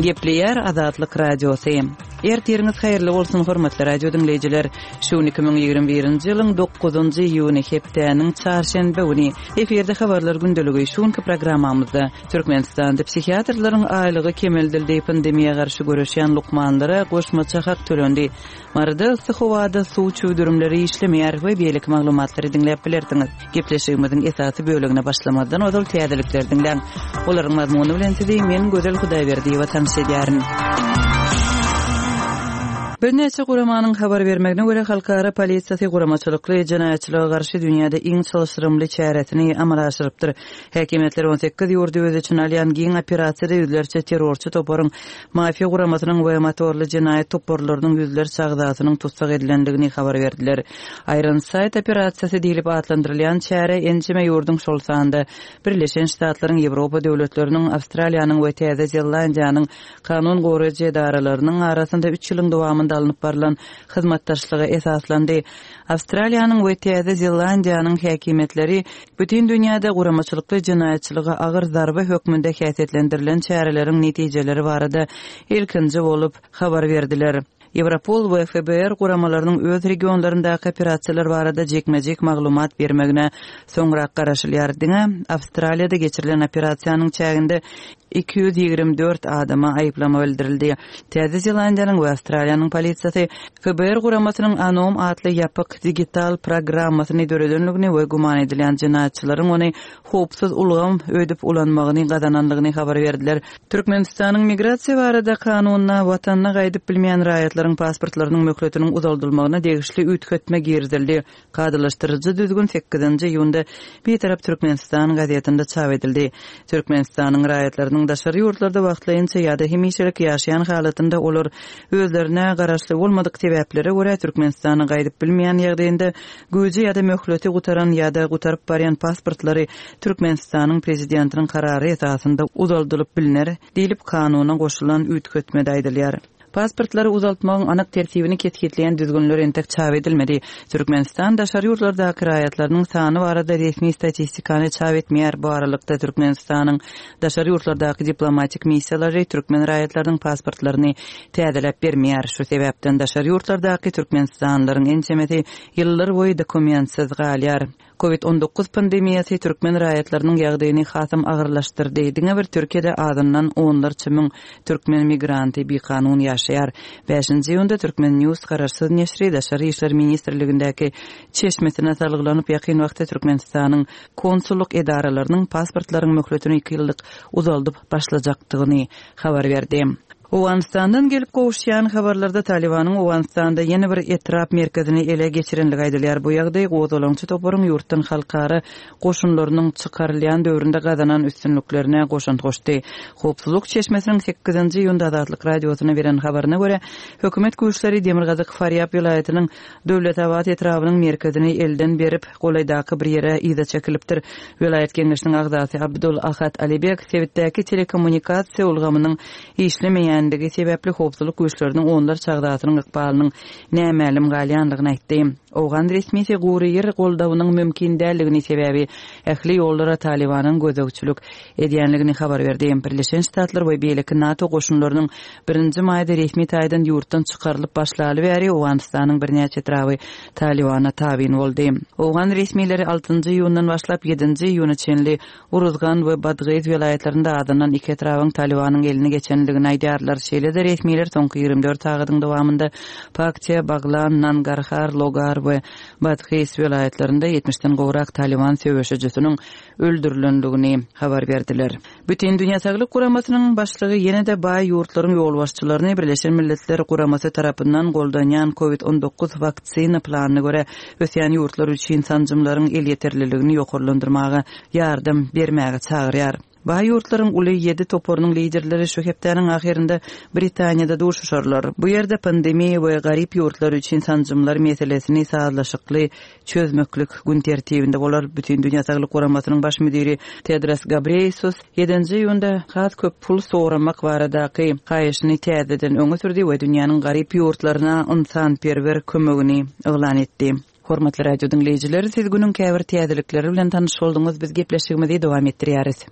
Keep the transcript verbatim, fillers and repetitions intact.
Gepleýär Azatlyk Radiosy. Ertiriňiz haýyrly bolsun hormatly radio diňleýjiler. Şu gün iki müň ýigrimi birinji ýylyň dokuzynjy iýuny hepdäniň çarşenbe güni. Efirde habarlar gündeligi. Şu günki programmamyzda Türkmenistanda psihiatrlaryň aýlygy kemeldildi, pandemiýa garşy göreşýän lukmanlara goşmaça hak tölendi. Maryda yssy howada suw çüwdürimleri işlemeýär we beýleki maglumatlary diňläp bilersiňiz. Gepleşigimiziň esasy bölegine başlamazdan ozal täzelikleri diňläň. Olaryň mazmuny bilen sizi men Gözel Hudaýberdiýewa tanyş edýärin. Birnäçe guramanyň habar bermegine görä, halkara polisiýasy guramaçylykly jenaýatçylyga garşy dünýäde iň çylşyrymly çäresini amala aşyrypdyr. Häkimiýetler on sekiz ýurdy öz içine alýan giň operasiýada ýüzlerçe terrorçy toparyň, mafiýa guramasynyň we motorly jenaýat toparlarynyň ýüzlerçe agzasynyň tussag edilendigini habar berdiler. Iron Sight operasiýasy diýlip atlandyrylýan çäre ençeme ýurduň, şol sanda Birleşen Ştatlaryň, Ýewropa döwletleriniň, Awstraliýanyň we Täze Zelandiýanyň kanun goraýjy edaralarynyň arasynda üç ýylyň dowamynda alnyp barlan hyzmatdaşlyga esaslandy. Awstraliýanyň we Täze Zelandiýanyň häkimiýetleri bütin dünýäde guramaçylykly jenaýatçylyga agyr zarba hökmünde häsiýetlendirilen çäreleriň netijeleri barada ilkinji bolup habar berdiler. Ýewropol we F B R guramalarynyň öz regionlaryndaky operasiýalar barada jikme-jik maglumat bermegine soňrak garaşylýar. Diňe Awstraliýada geçirilen operasiýanyň çäginde iki ýüz ýigrimi dört adama aýyplama bildirildi. Täze Zelandiýanyň we Awstraliýanyň polisiýasy F B R guramasynyň Anom atly ýapyk digital programmasyny döredenligini we güman edilýän jenaýatçylaryň ony howpsuz ulgam ödüp ulanmagyny gazananlygyny habar berdiler. Türkmenistanyň migrasiýa barada kanunyna watanyna gaýdyp bilmeýän raýatlaryň pasportlarynyň möhletiniň uzaldylmagyna degişli üýtgetme girizildi. Kadylaşdyryjy düzgün sekizinji iýunda Bitarap Türkmenistan gazetinde çap edildi. Türkmenistanyň raýatlarynyň daşary ýurtlarda wagtlaýynça ýa-da hemişelik ýaşaýan halatynda olar özlerine garaşly bolmadyk sebäplere görä Türkmenistana gaýdyp bilmeýän ýagdaýynda güýji ýa-da möhleti gutaran ýa-da gutaryp barýan pasportlary Türkmenistanyň prezidentiniň karary esasynda uzaldylyp bilner diýlip kanuna goşulan üýtgetmede aýdylýar. Pasportlary uzaltmagyň anyk tertibini kesgitleýän düzgünler entek çap edilmedi. Türkmenistan daşary ýurtlardaky raýatlarynyň sany barada resmi statistikany çap etmeýär. Bu aralykda Türkmenistanyň daşary ýurtlardaky diplomatik missiýalary türkmen raýatlarynyň pasportlaryny täzeläp bermeýär. Şu sebäpden daşary ýurtlardaky Türkmenistanlylaryň ençemesi ýyllar boýy dokumentsiz galýar. Covid on dokuz pandemiýasy türkmen raýatlarynyň ýagdaýyny hasam agyrlaşdyrdy. Diňe bir Türkiýede azyndan onlarça müň türkmen migranty bikanun ýaşaýar. Bäşinji iýunda Türkmen News garaşsyz neşri Daşary İşler Ministrligindäki çeşmesine salgylanyp ýakyn wagtda Türkmenistanyň konsullyk edaralarynyň pasportlaryň möhletini iki ýyllyk uzaldyp başlajakdygyny habar berdi. Owganistandan gelip gowuşýan habarlarda Talibanyň Owganistanda ýene bir etrap merkezini ele geçirenligi aýdylýar. Bu ýagdaý gozgalaňçy toparyň ýurtdan halkara goşunlarynyň çykarylýan döwründe gazanan üstünliklerine goşant goşdy. Howpsuzlyk çeşmesiniň sekizinji iýunda Azatlyk radiosyna beren habaryna görä, hökümet güýçleri Demirgazyk Farýab welaýatynyň Döwletabat etrabynyň merkezini elden berip, golaýdaky bir ýere yza çekilipdir. Welaýat geňeşiniň agzasy Abdul Ahad Alibek sebitdäki telekommunikasiýa ulgamynyň işlemeýändigi sebäpli howpsuzlyk güýçleriniň onlarça agzasynyň ykbalynyň nämälim galýandygyny aýtdy. Owgan resmisi gury ýer goldawynyň mümkin däldigini sebäbi ähli ýollara Talibanyň gözegçilik edýänligini habar berdi. Birleşen Ştatlar we beýleki NATO goşunlarynyň birinji maýda resmi taýdan ýurtdan çykarylyp başlaly bäri Owganystanyň birnäçe etraby Talibana tabyn boldy. Owgan resmileri altynjy iýundan başlap ýedinji iýuna çenli Uruzgan we Badgyz welaýatlarynda azyndan iki etrabyň Talibanyň eline geçenligini aýdýarlar. Şeýle-de resmiler soňky ýigrimi dört sagatyň dowamynda Paktiýa, Baglan, Nangarhar, Logar we Badgyz welaýatlarynda ýetmişden gowrak Taliban söweşijisiniň öldürilenligini habar berdiler. Bütün Dünya Saglyk Guramasynyň başlygy ýene-de baý ýurtlaryň ýolbaşçylaryny Birleşen Milletler Guramasy tarapyndan goldanýan Covid on dokuz waksina planyna görä ösýän ýurtlar üçin sanjymlaryň elýeterliligini ýokarlandyrmaga ýardam bermäge çagyrýar. Baý ýurtlaryň uly ýedi toparynyň liderleri şu hepdäniň ahyrynda Britaniýada duşuşarlar. Bu ýerde pandemiýa we garyp ýurtlar üçin sanjymlar meselesini sazlaşykly çözmeklik gün tertibinde bolar. Bütün Dünya Saglyk Guramasynyň baş müdiri Tedros Ghebreyesus ýedinji iýunda has köp pul soramak baradaky haýyşyny täzeden öňe sürdi we dünýäniň garyp ýurtlaryna ynsanperwer kömegini yglan etdi. Hormatly radio diňleýjiler, siz günüň käbir täzelikleri bilen tanyş bolduňyz. Biz gepleşigimizi dowam etdirýäris.